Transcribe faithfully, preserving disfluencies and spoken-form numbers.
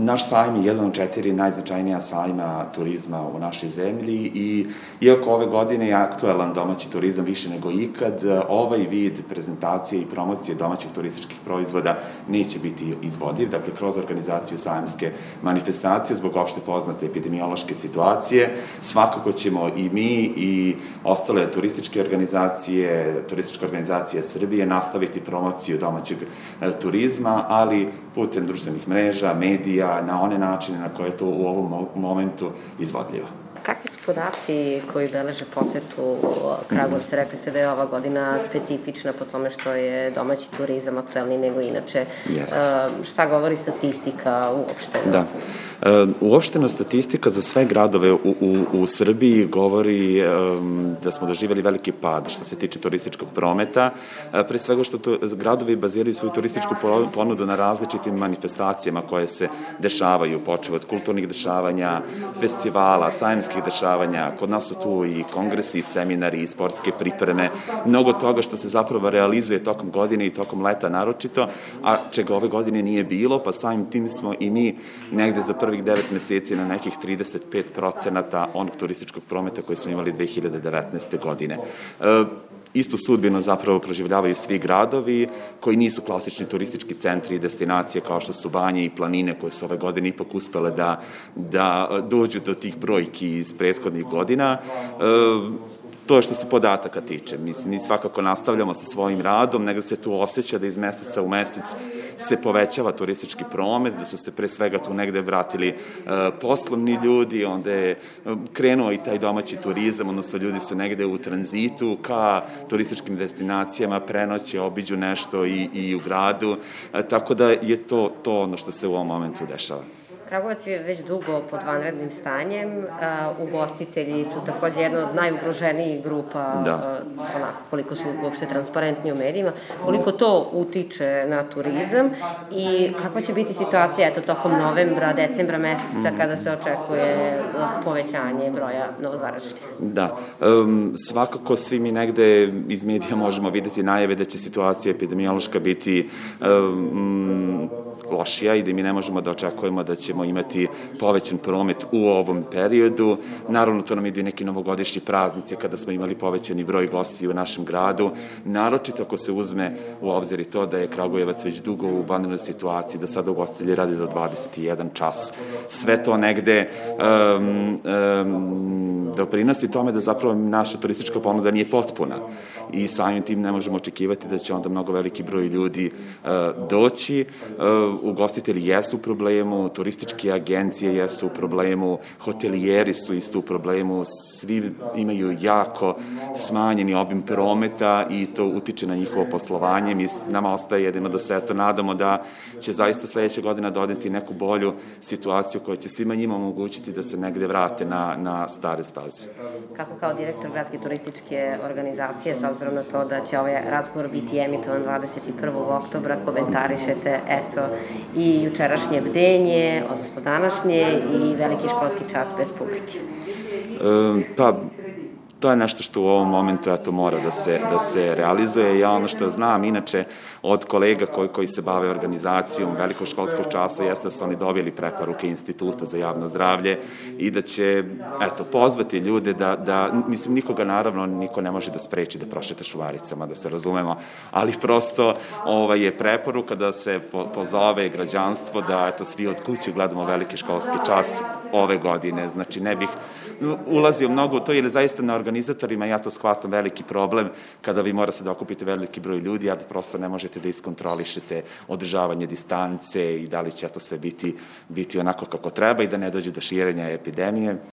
naš sajam je jedan od četiri najznačajnija sajma turizma u našoj zemlji i iako ove godine je aktuelan domaći turizam više nego ikad, ovaj vid prezentacije i promocije domaćih turističkih proizvoda neće biti izvodiv, dakle kroz organizaciju sajamske manifestacije zbog opšte poznate epidemiološke situacije. Svakako ćemo i mi i ostale turističke organizacije, turističke organizacije Srbije nastaviti promociju domaćeg turizma, ali putem društvenih mreža, medija, na one načine na koje je to u ovom momentu izvodljivo. Kakvi su podaci koji beleže posetu Kragujevca? Rekli ste da je ova godina specifična po tome što je domaći turizam aktuelniji nego inače. Jeste. Šta govori statistika uopšteno? Da. Uopštena statistika za sve gradove u, u, u Srbiji govori um, da smo doživjeli veliki pad što se tiče turističkog prometa, pre svega što to, gradovi baziraju svoju turističku ponudu na različitim manifestacijama koje se dešavaju, počev od kulturnih dešavanja, festivala, sajamskih dešavanja, kod nas su tu i kongresi, i seminari, i sportske pripreme, mnogo toga što se zapravo realizuje tokom godine i tokom leta naročito, a čega ove godine nije bilo, pa samim tim smo i mi negde za prvih devet meseci na nekih trideset pet procenata onog turističkog prometa koji smo imali dve hiljade devetnaeste. godine. E, Istu sudbinu zapravo proživljavaju svi gradovi koji nisu klasični turistički centri i destinacije kao što su Banje i Planine koje su ove godine ipak uspele da, da dođu do tih brojki iz prethodnih godina. E, To je što se podataka tiče. Mislim, mi svakako nastavljamo sa svojim radom, nego se tu osjeća da iz meseca u mesec se povećava turistički promet, da su se pre svega tu negde vratili uh, poslovni ljudi, onda je uh, krenuo i taj domaći turizam, odnosno ljudi su negde u tranzitu ka turističkim destinacijama, prenoće, obiđu nešto i, i u gradu, uh, tako da je to, to ono što se u ovom momentu dešava. Kragujevac je već dugo pod vanrednim stanjem, ugostitelji su takođe jedna od najugroženijih grupa, da. Onako, koliko su uopšte transparentni u medijima, koliko to utiče na turizam i kakva će biti situacija eto, tokom novembra, decembra meseca mm. kada se očekuje povećanje broja novozaraženih? Da, um, svakako svi mi negde iz medija možemo videti najave da će situacija epidemiološka biti um, lošija i da mi ne možemo da očekujemo da ćemo imati povećan promet u ovom periodu. Naravno, to nam idu i neki novogodišnji praznici kada smo imali povećani broj gostiju u našem gradu. Naročito ako se uzme u obzir i to da je Kragujevac već dugo u vanrednoj situaciji, da sada ugostitelji radi do dvadeset jedan čas. Sve to negde um, um, doprinosi tome da zapravo naša turistička ponuda nije potpuna i samim tim ne možemo očekivati da će onda mnogo veliki broj ljudi uh, doći. Uh, ugostitelji jesu u problemu, turističke agencije jesu u problemu, hotelijeri su isto u problemu, svi imaju jako smanjeni obim prometa i to utiče na njihovo poslovanje. Mi, nama ostaje jedino da se eto nadamo da će zaista sledeća godina dodati neku bolju situaciju koja će svima njima omogućiti da se negde vrate na, na stare staze. Kako kao direktor gradske turističke organizacije, s obzirom na to da će ovaj razgovor biti emitovan dvadeset prvog oktobra, komentarišete eto i jučerašnje bdenje, odnosno današnje i veliki školski čas bez publike? E, pa, to je nešto što u ovom momentu eto, mora da se, da se realizuje. Ja ono što znam, inače, od kolega koji, koji se bave organizacijom velikog školskog časa, jeste da su oni dobili preporuke Instituta za javno zdravlje i da će, eto, pozvati ljude da, da mislim, nikoga naravno, niko ne može da spreči da prošete šuvaricama, da se razumemo, ali prosto ovaj, je preporuka da se po, pozove građanstvo da, eto, svi od kuće gledamo veliki školski čas ove godine. Znači, ne bih ulazio mnogo u to, jer zaista na organizatorima ja to shvatam veliki problem kada vi morate da okupite veliki broj ljudi, a da prosto ne možete da iskontrolišete održavanje distance i da li će to sve biti, biti onako kako treba i da ne dođe do širenja epidemije.